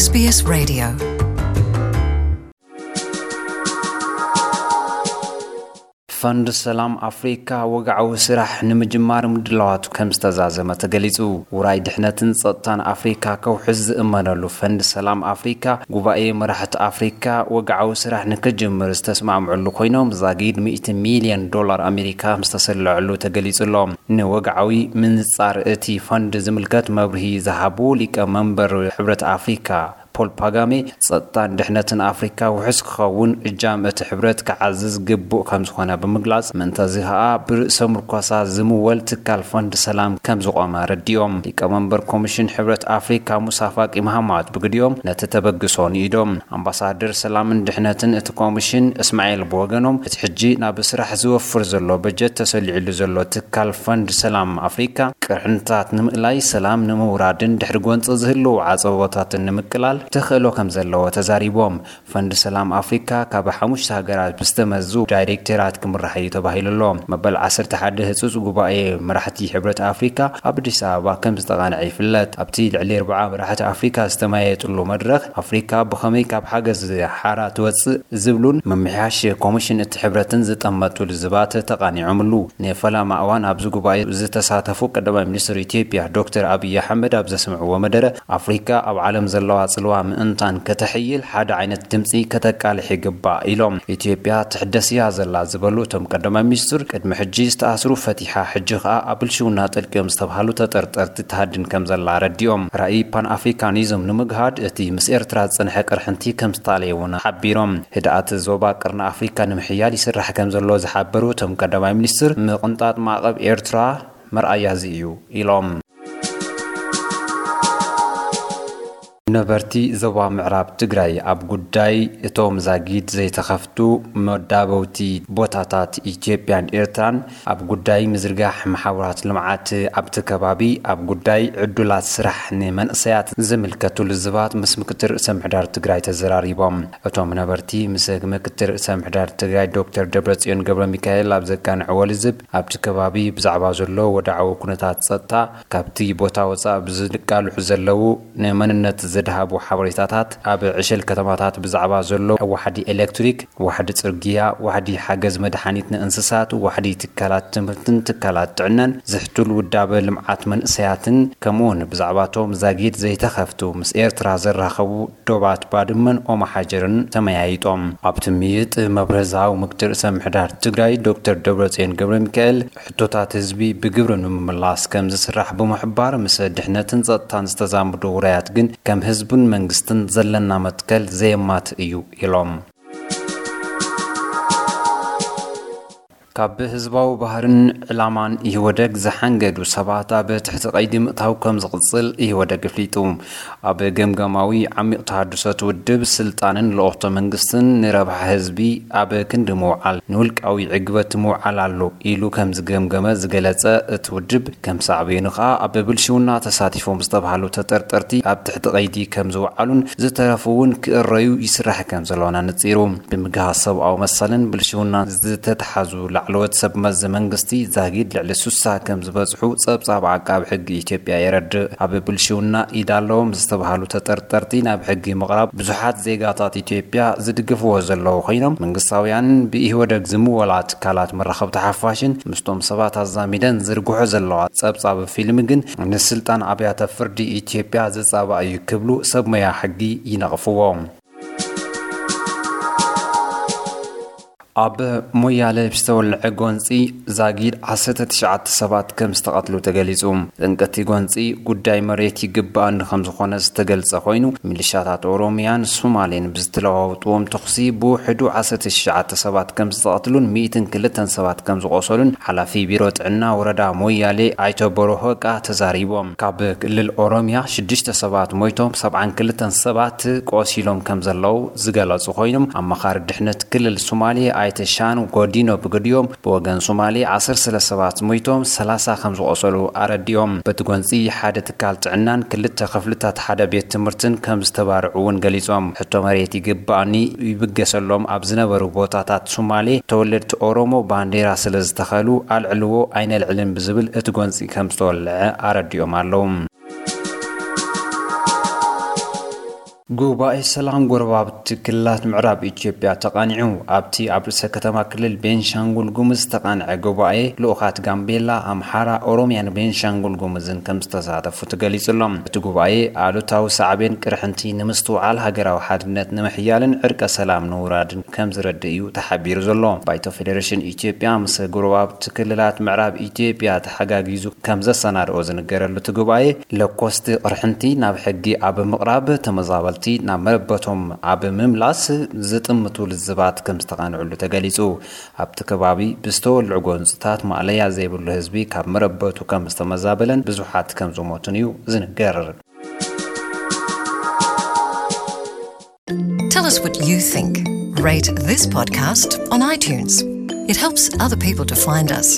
S B S Radio. ፈንድ ሰላም ኣፍሪካ ወግዓዊ ስራሕ ንምጅማር ምድላዋቱ ከም ዝተዛዘመ ተገሊጹ። ውራይ ድሕነትን ጸጥታን ኣፍሪካ ከውሕስ ዝእመነሉ ፈንድ ሰላም ኣፍሪካ ጉባኤ መራሕቲ ኣፍሪካ ወግዓዊ ስራሕ ንክጅምር ዝተስማምዕሉ ኮይኖም ዛጊድ ሚእቲ ሚልዮን ዶላር ኣሜሪካ ዝተሰለዐሉ ተገሊጹ ኣሎ። ንወግዓዊ ምንጻር እቲ ፈንድ ዝምልከት መብርሂ ዝሃቡ ሊቀ መንበር ሕብረት ኣፍሪካ ፖል ፓጋሜ ጸጥታን ድሕነትን ኣፍሪካ ውሑስ ክኸውን እጃም እቲ ሕብረት ክዓዝዝ ግቡእ ከም ዝኾነ ብምግላጽ፣ ምእንተዚ ኸኣ ብርእሰ ምርኮሳ ዝምወል ትካል ፈንድ ሰላም ከም ዝቖመ ኣረዲኦም። ሊቀመንበር ኮሚሽን ሕብረት ኣፍሪካ ሙሳ ፋቂ መሃማት ብግዲኦም ነቲ ተበግሶ ንኢዶም። ኣምባሳደር ሰላምን ድሕነትን እቲ ኮሚሽን እስማኤል ብወገኖም፣ እቲ ሕጂ ናብ ስራሕ ዝወፍር ዘሎ በጀት ተሰሊዕሉ ዘሎ ትካል ፈንድ ሰላም ኣፍሪካ ቅርሕንታት ንምእላይ፣ ሰላም ንምውራድን ድሕሪ ጎንፂ ዝህልዉ ዓጸቦታትን ንምቅላል ተኽእሎ ከም ዘለዎ ተዛሪቦም። ፈንድ ሰላም ኣፍሪካ ካብ ሓሙሽተ ሃገራት ብዝተመዙ ዳይሬክተራት ክምራሕ እዩ ተባሂሉ ኣሎ። መበል ዓሰርተ ሓደ ህጹጽ ጉባኤ መራሕቲ ሕብረት ኣፍሪካ ኣብ ኣዲስ ኣበባ ከም ዝተቓንዐ ይፍለጥ። ኣብቲ ልዕሊ ኣርብዓ መራሕቲ ኣፍሪካ ዝተመያየጥሉ መድረኽ፣ ኣፍሪካ ብኸመይ ካብ ሓገዝ ሓራ ትወጽእ ዝብሉን ምምሕያሽ ኮሚሽን እቲ ሕብረትን ዝጠመቱ ልዝባት ተቓኒዖምሉ። ንፈላማ እዋን ኣብዚ ጉባኤ ዝተሳተፉ ቀዳማይ ሚኒስትር ኢትዮጵያ ዶክተር ኣብይ ኣሕመድ ኣብ ዘስምዕዎ መደረ፣ ኣፍሪካ ኣብ ዓለም ዘለዋ ጽልዋ ምእንታን ከተሕይል ሓደ ዓይነት ድምፂ ከተቃልሕ ይግባእ ኢሎም። ኢትዮጵያ ትሕደስ እያ ዘላ ዝበሉ እቶም ቀዳማይ ሚኒስትር፣ ቅድሚ ሕጂ ዝተኣስሩ ፈቲሓ፣ ሕጂ ከኣ ኣብ ብልሽውና ጠልቅዮም ዝተባሃሉ ተጠርጠርቲ ትሃድን ከም ዘላ ኣረዲኦም። ራእይ ፓን ኣፍሪካኒዝም ንምግሃድ እቲ ምስ ኤርትራ ዝጸንሐ ቅርሕንቲ ከም ዝጣለየ እውን ሓቢሮም። ህድኣት ዞባ ቀርኒ ኣፍሪካ ንምሕያል ይስራሕ ከም ዘሎ ዝሓበሩ እቶም ቀዳማይ ሚኒስትር፣ ምቕንጣጥ ማዕቐብ ኤርትራ መርኣያ እዚ እዩ ኢሎም። ነበርቲ ዞባ ምዕራብ ትግራይ ኣብ ጉዳይ እቶም ዛጊድ ዘይተኸፍቱ መዳበውቲ ቦታታት ኢትዮጵያን ኤርትራን፣ ኣብ ጉዳይ ምዝርጋሕ መሓውራት ልምዓት ኣብቲ ከባቢ፣ ኣብ ጉዳይ ዕዱላት ስራሕ ንመንእሰያት ዝምልከቱ ልዝባት ምስ ምክትል ርእሰ ምሕዳር ትግራይ ተዘራሪቦም። እቶም ነበርቲ ምስ ምክትል ርእሰ ምሕዳር ትግራይ ዶክተር ደብረጽዮን ገብረ ሚካኤል ኣብ ዘቃንዕዎ ልዝብ፣ ኣብቲ ከባቢ ብዛዕባ ዘሎ ወድዓዊ ኩነታት ጸጥታ፣ ካብቲ ቦታ ወጻእ ብዝቃልሑ ዘለዉ ንመንነት ዘድሃቡ ሓበሬታታት፣ ኣብ ዕሸል ከተማታት ብዛዕባ ዘሎ ዋሕዲ ኤሌክትሪክ፣ ዋሕዲ ጽርግያ፣ ዋሕዲ ሓገዝ መድሓኒት ንእንስሳት፣ ዋሕዲ ትካላት ትምህርትን ትካላት ጥዕናን ዝሕቱል ውዳበ ልምዓት መንእሰያትን፣ ከምኡውን ብዛዕባቶም ዛጊድ ዘይተኸፍቱ ምስ ኤርትራ ዘራኸቡ ዶባት ባድመን ኦማሓጀርን ተመያይጦም። ኣብቲ ምይጥ መብረዛዊ ምክትል ርእሰ ምሕዳር ትግራይ ዶክተር ደብረጽዮን ገብረ ሚካኤል፣ ሕቶታት ህዝቢ ብግብሪ ንምምላስ ከም ዝስራሕ ብምሕባር፣ ምስ ድሕነትን ጸጥታን ዝተዛምዱ ውራያት ግን ከም ህዝብን መንግስትን ዘለና መትከል ዘየማት እዩ ኢሎም። ካብ ህዝባዊ ባህርን ዕላማን ኢህወደግ ዝሓንገዱ ሰባት ኣብ ትሕቲ ቀይዲ ምእታው ከም ዝቕጽል ኢህወደግ ኣፍሊጡ። ኣብ ገምጋማዊ ዓሚቕ ተሃድሶ እቲ ውድብ፣ ስልጣንን ልኡኽቶ መንግስትን ንረብሓ ህዝቢ ኣብ ክንዲ ምውዓል፣ ንውልቃዊ ዕግበት ምውዓል ኣሎ ኢሉ ከም ዝገምገመ ዝገለጸ እቲ ውድብ፣ ከም ሳዕቤኑ ከኣ ኣብ ብልሽውና ተሳቲፎም ዝተባህሉ ተጠርጠርቲ ኣብ ትሕቲ ቀይዲ ከም ዝወዓሉን ዝተረፉ እውን ክእረዩ ይስራሕ ከም ዘሎን ኣነጺሩ። ብምግሃስ ሰብኣዊ መሰልን ብልሽውናን ዝተተሓዙ ላዕለዎት ሰብ መዚ መንግስቲ ዛጊድ ልዕሊ ሱሳ ከም ዝበጽሑ ጸብጻብ ዓቃቢ ሕጊ ኢትዮጵያ የረድእ። ኣብ ብልሽውና ኢድ ኣለዎም ዝተባህሉ ተጠርጠርቲ ናብ ሕጊ ምቕራብ ብዙሓት ዜጋታት ኢትዮጵያ ዝድግፍዎ ዘለዉ ኮይኖም፣ መንግስታውያን ብኢህወደግ ዝምወላ ትካላት መራኸብቲ ሓፋሽን ምስቶም ሰባት ኣዛሚደን ዝርግሖ ዘለዋ ጸብጻብ ፊልም ግን ንስልጣን ኣብያተ ፍርዲ ኢትዮጵያ ዝጻባእ እዩ ክብሉ ሰብ ሞያ ሕጊ ይነቕፍዎ። ኣብ ሞያሌ ብዝተወልዐ ጎንጺ ዛጊድ ዓሰርተ ትሽዓተ ሰባት ከም ዝተቐትሉ ተገሊጹ። ጠንቂ እቲ ጎንጺ ጉዳይ መሬት ይግብኣኒ ከም ዝኾነ ዝተገልጸ ኮይኑ፣ ሚሊሻታት ኦሮሚያን ሶማሌን ብዝተለዋወጥዎም ተኹሲ ብውሕዱ ዓሰርተ ትሽዓተ ሰባት ከም ዝተቐትሉን ሚእትን ክልተን ሰባት ከም ዝቖሰሉን ሓላፊ ቢሮ ጥዕና ወረዳ ሞያሌ ኣይተ ቦሮ ሆቃ ተዛሪቦም። ካብ ክልል ኦሮሚያ ሽዱሽተ ሰባት ሞይቶም፣ ሰብዓን ክልተን ሰባት ቆሲሎም ከም ዘለዉ ዝገለጹ ኮይኖም፣ ኣማኻሪ ድሕነት ክልል ሶማሌ ኣይተ ሻን ጎዲኖ ብግዲኦም፣ ብወገን ሶማሌ ዓሰርተ ሰባት ሞይቶም፣ ሰላሳ ከም ዝቖሰሉ ኣረዲኦም። በቲ ጎንጺ ሓደ ትካል ጥዕናን ክልተ ክፍልታት ሓደ ቤት ትምህርትን ከም ዝተባርዑ እውን ገሊጾም። ሕቶ መሬት ይግባኣኒ ይብገሰሎም ኣብ ዝነበሩ ቦታታት ሶማሌ፣ ተወለድቲ ኦሮሞ ባንዴራ ስለ ዝተኸሉ ኣልዕልዎ ኣይነልዕልን ብዝብል እቲ ጎንጺ ከም ዝተወልዐ ኣረዲኦም ኣለዉ። ጉባኤ ሰላም ጎረባብቲ ክልላት ምዕራብ ኢትዮጵያ ተቓኒዑ። ኣብቲ ኣብ ርእሰ ከተማ ክልል ቤንሻንጉል ጉሙዝ ዝተቓንዐ ጉባኤ፣ ልኡኻት ጋምቤላ፣ ኣምሓራ፣ ኦሮሚያን ቤንሻንጉል ጉሙዝን ከም ዝተሳተፉ ተገሊጹ ኣሎ። እቲ ጉባኤ ኣሉታዊ ሳዕቤን ቅርሕንቲ ንምስትውዓል፣ ሃገራዊ ሓድነት ንምሕያልን ዕርቀ ሰላም ንውራድን ከም ዝረድእ እዩ ተሓቢሩ ዘሎ። ባይቶ ፌዴሬሽን ኢትዮጵያ ምስ ጎረባብቲ ክልላት ምዕራብ ኢትዮጵያ ተሓጋጊዙ ከም ዘሰናድኦ ዝንገረሉ እቲ ጉባኤ፣ ለኮስቲ ቅርሕንቲ ናብ ሕጊ ኣብ ምቕራብ፣ ተመዛበልቲ ናብ መረበቶም ኣብ ምምላስ ዝጥምቱ ልዝባት ከም ዝተቓንዕሉ ተገሊጹ። ኣብቲ ከባቢ ብዝተወልዑ ጎንጽታት ማእለያ ዘይብሉ ህዝቢ ካብ መረበቱ ከም ዝተመዛበለን ብዙሓት ከም ዝሞቱን እዩ ዝንገር። Tell us what you think. Rate this podcast on iTunes. It helps other people to find us.